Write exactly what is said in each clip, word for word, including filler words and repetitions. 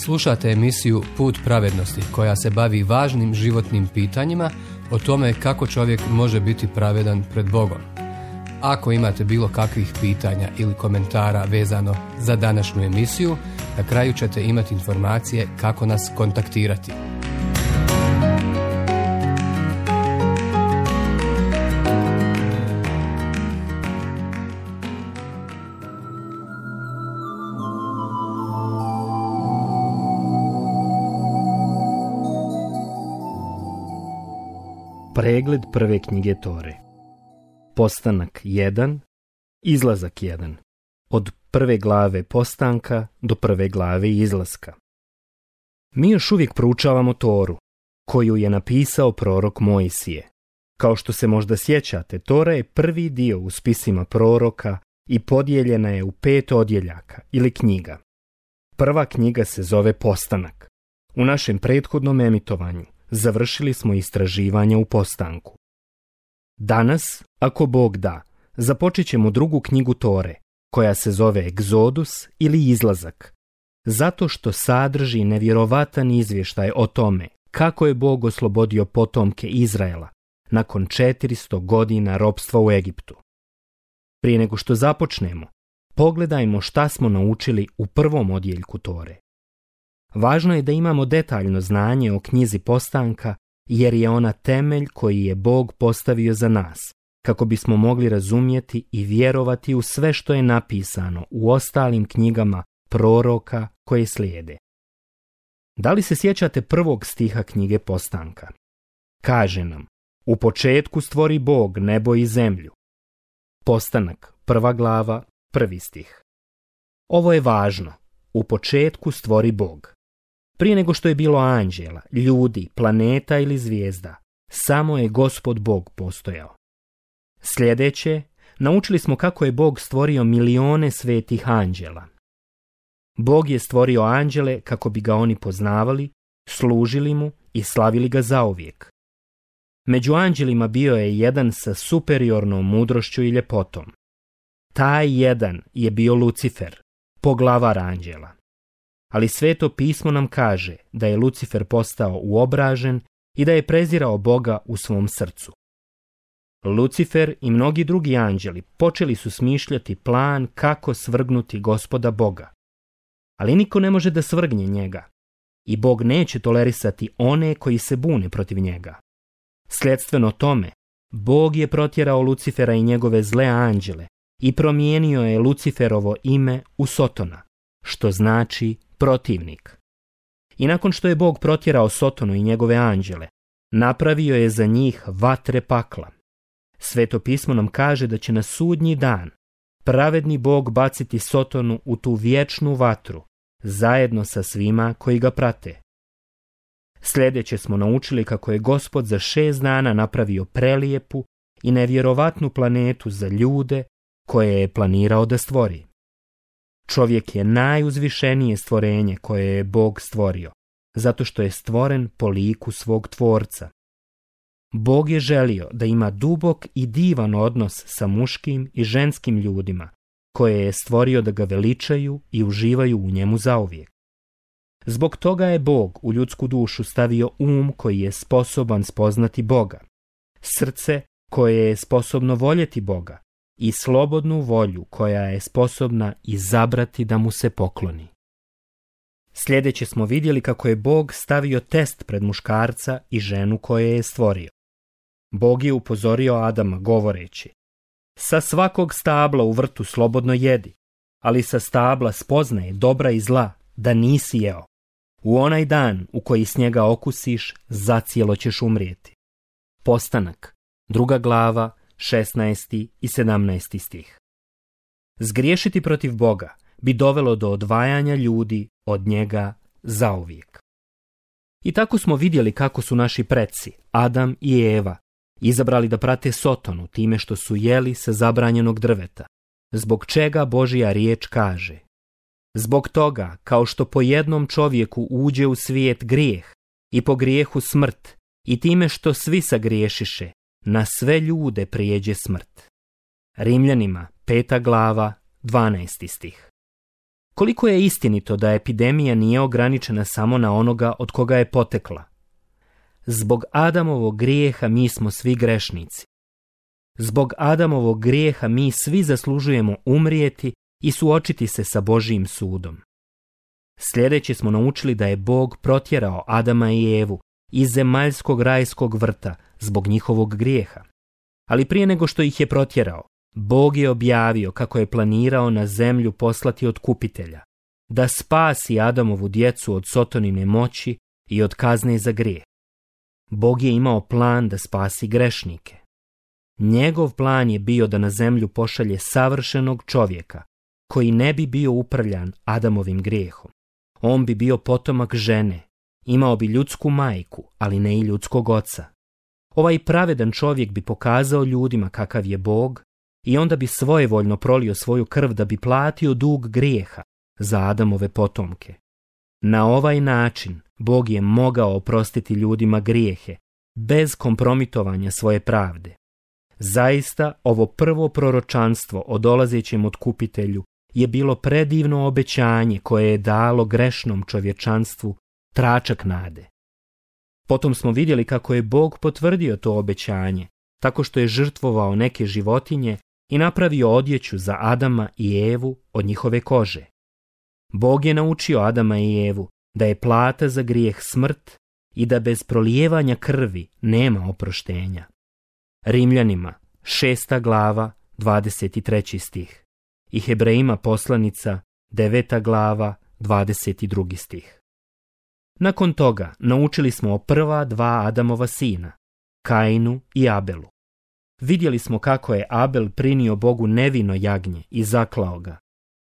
Slušate emisiju Put pravednosti koja se bavi važnim životnim pitanjima o tome kako čovjek može biti pravedan pred Bogom. Ako imate bilo kakvih pitanja ili komentara vezano za današnju emisiju, na kraju ćete imati informacije kako nas kontaktirati. Pregled prve knjige Tore. Postanak jedan, izlazak jedan. Od prve glave postanka do prve glave izlaska. Mi još uvijek proučavamo Toru, koju je napisao prorok Mojsije. Kao što se možda sjećate, Tora je prvi dio u spisima proroka i podijeljena je u pet odjeljaka ili knjiga. Prva knjiga se zove Postanak. U našem prethodnom emitovanju završili smo istraživanja u postanku. Danas, ako Bog da, započet ćemo drugu knjigu Tore, koja se zove Egzodus ili Izlazak, zato što sadrži nevjerovatan izvještaj o tome kako je Bog oslobodio potomke Izraela nakon četiristo godina ropstva u Egiptu. Prije nego što započnemo, pogledajmo šta smo naučili u prvom odjeljku Tore. Važno je da imamo detaljno znanje o knjizi Postanka, jer je ona temelj koji je Bog postavio za nas, kako bismo mogli razumjeti i vjerovati u sve što je napisano u ostalim knjigama proroka koje slijede. Da li se sjećate prvog stiha knjige Postanka? Kaže nam: u početku stvori Bog nebo i zemlju. Postanak, prva glava, prvi stih. Ovo je važno. U početku stvori Bog. Prije nego što je bilo anđela, ljudi, planeta ili zvijezda, samo je Gospod Bog postojao. Sljedeće, naučili smo kako je Bog stvorio milione svetih anđela. Bog je stvorio anđele kako bi ga oni poznavali, služili mu i slavili ga zauvijek. Među anđelima bio je jedan sa superiornom mudrošću i ljepotom. Taj jedan je bio Lucifer, poglavar anđela. Ali Sveto pismo nam kaže da je Lucifer postao uobražen i da je prezirao Boga u svom srcu. Lucifer i mnogi drugi anđeli počeli su smišljati plan kako svrgnuti Gospoda Boga. Ali niko ne može da svrgne njega i Bog neće tolerisati one koji se bune protiv njega. Sljedstveno tome, Bog je protjerao Lucifera i njegove zle anđele i promijenio je Luciferovo ime u Sotona, što znači protivnik. I nakon što je Bog protjerao Sotonu i njegove anđele, napravio je za njih vatre pakla. Sveto pismo nam kaže da će na sudnji dan pravedni Bog baciti Sotonu u tu vječnu vatru, zajedno sa svima koji ga prate. Sljedeće smo naučili kako je Gospod za šest dana napravio prelijepu i nevjerovatnu planetu za ljude koje je planirao da stvori. Čovjek je najuzvišenije stvorenje koje je Bog stvorio, zato što je stvoren po liku svog tvorca. Bog je želio da ima dubok i divan odnos sa muškim i ženskim ljudima, koje je stvorio da ga veličaju i uživaju u njemu zauvijek. Zbog toga je Bog u ljudsku dušu stavio um koji je sposoban spoznati Boga, srce koje je sposobno voljeti Boga i slobodnu volju koja je sposobna izabrati da mu se pokloni. Sljedeće smo vidjeli kako je Bog stavio test pred muškarca i ženu koje je stvorio. Bog je upozorio Adama govoreći: sa svakog stabla u vrtu slobodno jedi, ali sa stabla spoznaje dobra i zla da nisi jeo. U onaj dan u koji s njega okusiš, zacijelo ćeš umrijeti. Postanak, druga glava, šesnaesti i sedamnaesti stih. Zgriješiti protiv Boga bi dovelo do odvajanja ljudi od njega zauvijek. I tako smo vidjeli kako su naši preci, Adam i Eva, izabrali da prate Sotonu time što su jeli sa zabranjenog drveta, zbog čega Božja riječ kaže: zbog toga, kao što po jednom čovjeku uđe u svijet grijeh i po grijehu smrt, i time što svi sagriješiše, na sve ljude prijeđe smrt. Rimljanima, peta glava, dvanaesti stih. Koliko je istinito da epidemija nije ograničena samo na onoga od koga je potekla? Zbog Adamovog grijeha mi smo svi grešnici. Zbog Adamovog grijeha mi svi zaslužujemo umrijeti i suočiti se sa Božijim sudom. Sljedeće smo naučili da je Bog protjerao Adama i Evu iz zemaljskog rajskog vrta zbog njihovog grijeha. Ali prije nego što ih je protjerao, Bog je objavio kako je planirao na zemlju poslati otkupitelja, da spasi Adamovu djecu od Sotonine moći i od kazne za grijeh. Bog je imao plan da spasi grešnike. Njegov plan je bio da na zemlju pošalje savršenog čovjeka, koji ne bi bio upravljan Adamovim grijehom. On bi bio potomak žene, imao bi ljudsku majku, ali ne i ljudskog oca. Ovaj pravedan čovjek bi pokazao ljudima kakav je Bog i onda bi svojevoljno prolio svoju krv da bi platio dug grijeha za Adamove potomke. Na ovaj način Bog je mogao oprostiti ljudima grijehe, bez kompromitovanja svoje pravde. Zaista, ovo prvo proročanstvo o dolazećem otkupitelju je bilo predivno obećanje koje je dalo grešnom čovječanstvu tračak nade. Potom smo vidjeli kako je Bog potvrdio to obećanje, tako što je žrtvovao neke životinje i napravio odjeću za Adama i Evu od njihove kože. Bog je naučio Adama i Evu da je plata za grijeh smrt i da bez prolijevanja krvi nema oproštenja. Rimljanima, šesta glava, dvadeset treći stih. I Hebrejima poslanica, deveta glava, dvadeset drugi stih. Nakon toga naučili smo o prva dva Adamova sina, Kainu i Abelu. Vidjeli smo kako je Abel prinio Bogu nevino jagnje i zaklao ga,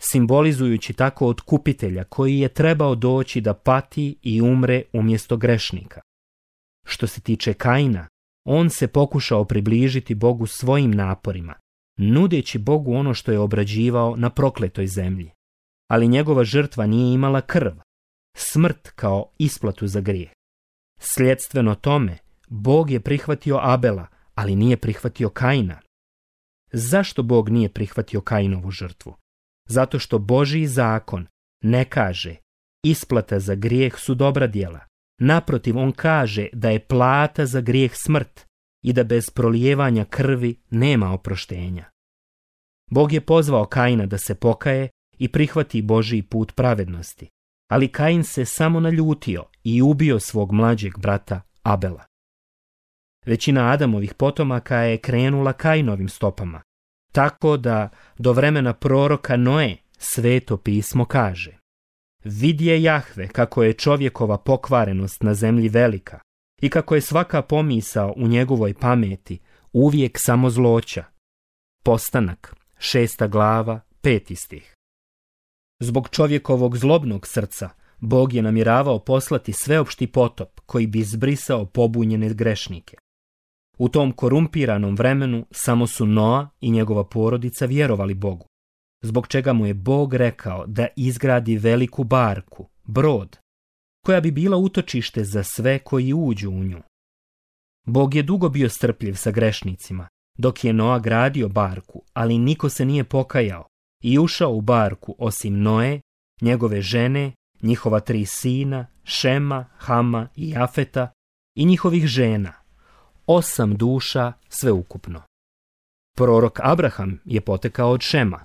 simbolizujući tako otkupitelja koji je trebao doći da pati i umre umjesto grešnika. Što se tiče Kaina, on se pokušao približiti Bogu svojim naporima, nudeći Bogu ono što je obrađivao na prokletoj zemlji. Ali njegova žrtva nije imala krv, smrt kao isplatu za grijeh. Sljedstveno tome, Bog je prihvatio Abela, ali nije prihvatio Kaina. Zašto Bog nije prihvatio Kainovu žrtvu? Zato što Božji zakon ne kaže isplata za grijeh su dobra djela. Naprotiv, on kaže da je plata za grijeh smrt i da bez prolijevanja krvi nema oproštenja. Bog je pozvao Kaina da se pokaje i prihvati Božji put pravednosti, ali Kain se samo naljutio i ubio svog mlađeg brata Abela. Većina Adamovih potomaka je krenula Kainovim stopama, tako da do vremena proroka Noe Sveto pismo kaže: vidje Jahve kako je čovjekova pokvarenost na zemlji velika i kako je svaka pomisao u njegovoj pameti uvijek samo zloća. Postanak, šesta glava, peti stih. Zbog čovjekovog zlobnog srca Bog je namjeravao poslati sveopšti potop koji bi izbrisao pobunjene grešnike. U tom korumpiranom vremenu samo su Noa i njegova porodica vjerovali Bogu, zbog čega mu je Bog rekao da izgradi veliku barku, brod, koja bi bila utočište za sve koji uđu u nju. Bog je dugo bio strpljiv sa grešnicima, dok je Noa gradio barku, ali niko se nije pokajao i ušao u barku osim Noe, njegove žene, njihova tri sina, Šema, Hama i Jafeta i njihovih žena, osam duša sveukupno. Prorok Abraham je potekao od Šema.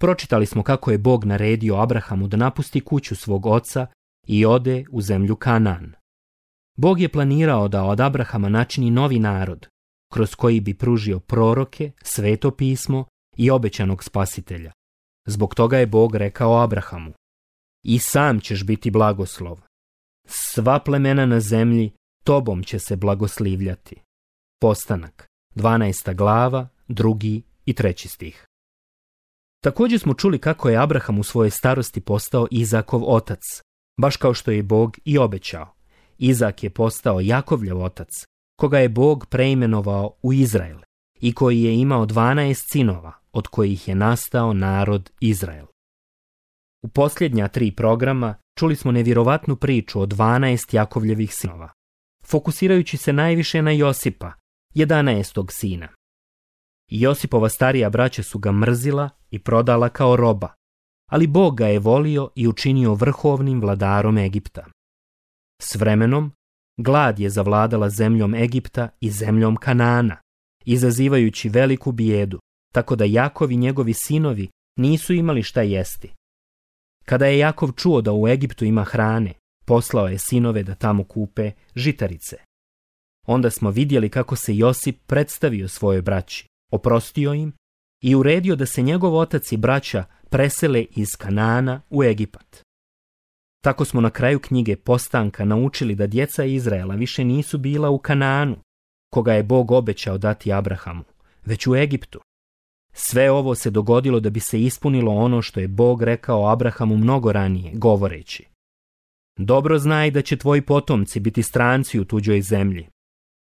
Pročitali smo kako je Bog naredio Abrahamu da napusti kuću svog oca i ode u zemlju Kanaan. Bog je planirao da od Abrahama načini novi narod, kroz koji bi pružio proroke, sveto pismo i obećanog spasitelja. Zbog toga je Bog rekao Abrahamu: i sam ćeš biti blagoslov. Sva plemena na zemlji tobom će se blagoslivljati. Postanak, dvanaesta glava, drugi i treći stih. Također smo čuli kako je Abraham u svojoj starosti postao Izakov otac, baš kao što je Bog i obećao. Izak je postao Jakovljev otac, koga je Bog preimenovao u Izrael i koji je imao dvanaest sinova, od kojih je nastao narod Izrael. U posljednja tri programa čuli smo nevjerovatnu priču o dvanaest Jakovljevih sinova, fokusirajući se najviše na Josipa, jedanaestog sina. Josipova starija braća su ga mrzila i prodala kao roba, ali Bog ga je volio i učinio vrhovnim vladarom Egipta. S vremenom, glad je zavladala zemljom Egipta i zemljom Kanana, izazivajući veliku bijedu, tako da Jakov i njegovi sinovi nisu imali šta jesti. Kada je Jakov čuo da u Egiptu ima hrane, poslao je sinove da tamo kupe žitarice. Onda smo vidjeli kako se Josip predstavio svojoj braći, oprostio im i uredio da se njegov otac i braća presele iz Kanana u Egipat. Tako smo na kraju knjige Postanka naučili da djeca Izraela više nisu bila u Kananu, koga je Bog obećao dati Abrahamu, već u Egiptu. Sve ovo se dogodilo da bi se ispunilo ono što je Bog rekao Abrahamu mnogo ranije, govoreći: dobro znaj da će tvoji potomci biti stranci u tuđoj zemlji.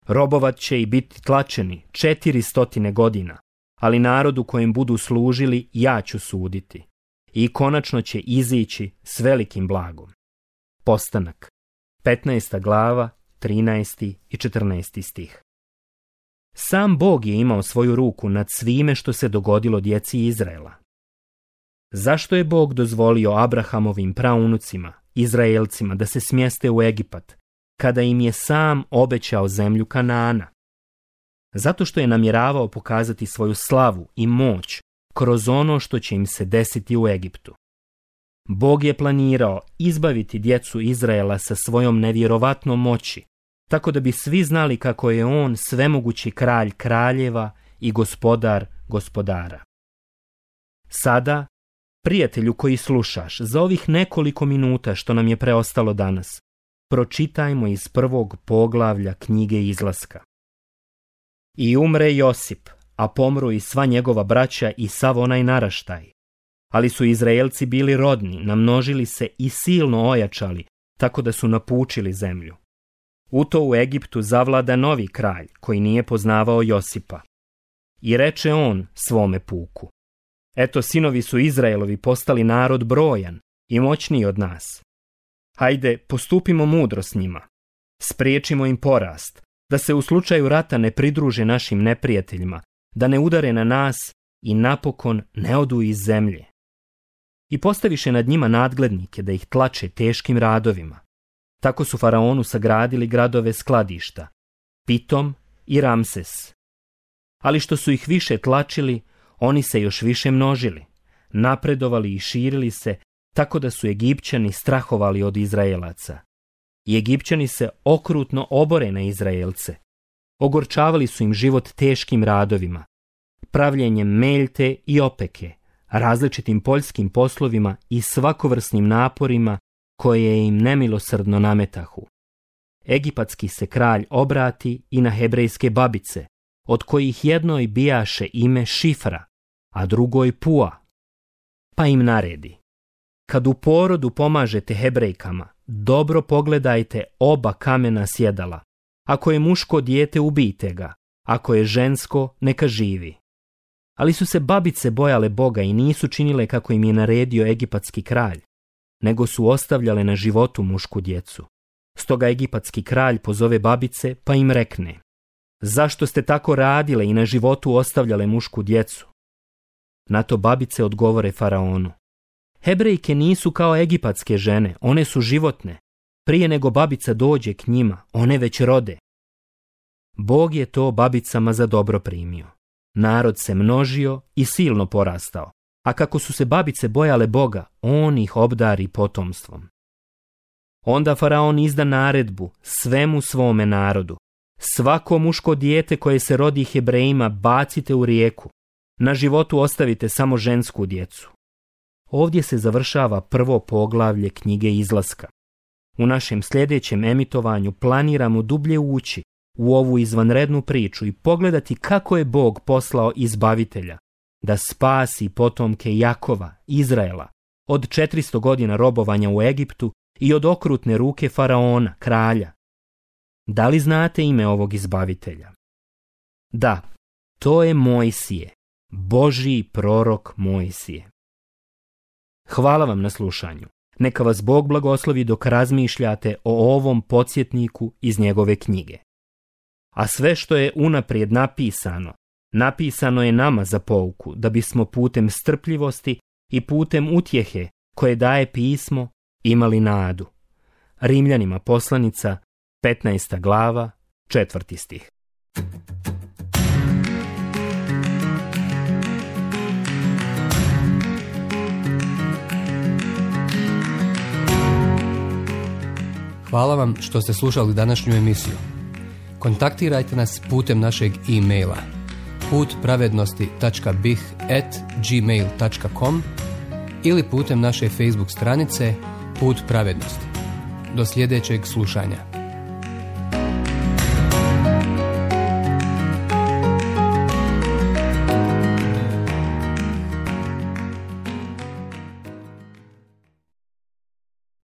Robovat će i biti tlačeni četiri stotine godina, ali narodu kojem budu služili ja ću suditi. I konačno će izići s velikim blagom. Postanak, petnaesta glava, trinaesti i četrnaesti stih. Sam Bog je imao svoju ruku nad svime što se dogodilo djeci Izraela. Zašto je Bog dozvolio Abrahamovim praunucima, Izraelcima, da se smjeste u Egipat, kada im je sam obećao zemlju Kanana? Zato što je namjeravao pokazati svoju slavu i moć kroz ono što će im se desiti u Egiptu. Bog je planirao izbaviti djecu Izraela sa svojom nevjerovatnom moći, tako da bi svi znali kako je on svemogući kralj kraljeva i gospodar gospodara. Sada, prijatelju koji slušaš, za ovih nekoliko minuta što nam je preostalo danas, pročitajmo iz prvog poglavlja knjige Izlaska. I umre Josip, a pomru i sva njegova braća i sav onaj naraštaj. Ali su Izraelci bili rodni, namnožili se i silno ojačali, tako da su napučili zemlju. U to u Egiptu zavlada novi kralj, koji nije poznavao Josipa. I reče on svome puku: eto, sinovi su Izraelovi postali narod brojan i moćniji od nas. Hajde, postupimo mudro s njima. Spriječimo im porast, da se u slučaju rata ne pridruže našim neprijateljima, da ne udare na nas i napokon ne odu iz zemlje. I postaviše nad njima nadglednike da ih tlače teškim radovima. Tako su faraonu sagradili gradove skladišta, Pitom i Ramses. Ali što su ih više tlačili, oni se još više množili, napredovali i širili se, tako da su Egipćani strahovali od Izraelaca. I Egipćani se okrutno obore na Izraelce. Ogorčavali su im život teškim radovima, pravljenjem meljte i opeke, različitim poljskim poslovima i svakovrsnim naporima koje im nemilosrdno nametahu. Egipatski se kralj obrati i na hebrejske babice, od kojih jednoj bijaše ime Šifra, a drugoj Pua. Pa im naredi: kad u porodu pomažete Hebrejkama, dobro pogledajte oba kamena sjedala. Ako je muško dijete, ubijte ga, ako je žensko, neka živi. Ali su se babice bojale Boga i nisu činile kako im je naredio egipatski kralj, nego su ostavljale na životu mušku djecu. Stoga egipatski kralj pozove babice pa im rekne: zašto ste tako radile i na životu ostavljale mušku djecu? Na to babice odgovore faraonu: Hebrejke nisu kao egipatske žene, one su životne. Prije nego babica dođe k njima, one već rode. Bog je to babicama za dobro primio. Narod se množio i silno porastao, a kako su se babice bojale Boga, on ih obdari potomstvom. Onda faraon izda naredbu svemu svome narodu: svako muško dijete koje se rodi Hebrejima bacite u rijeku, na životu ostavite samo žensku djecu. Ovdje se završava prvo poglavlje knjige Izlaska. U našem sljedećem emitovanju planiramo dublje ući u ovu izvanrednu priču i pogledati kako je Bog poslao izbavitelja da spasi potomke Jakova, Izraela, od četiristo godina robovanja u Egiptu i od okrutne ruke faraona, kralja. Da li znate ime ovog izbavitelja? Da, to je Mojsije, Božji prorok Mojsije. Hvala vam na slušanju. Neka vas Bog blagoslovi dok razmišljate o ovom podsjetniku iz njegove knjige. A sve što je unaprijed napisano, napisano je nama za pouku, da bismo putem strpljivosti i putem utjehe koje daje pismo imali nadu. Rimljanima poslanica, petnaesta glava, četvrti stih. Hvala vam što ste slušali današnju emisiju. Kontaktirajte nas putem našeg e-maila put pravednosti tačka b i h at gmail tačka com ili putem naše Facebook stranice Put pravednosti. Do sljedećeg slušanja.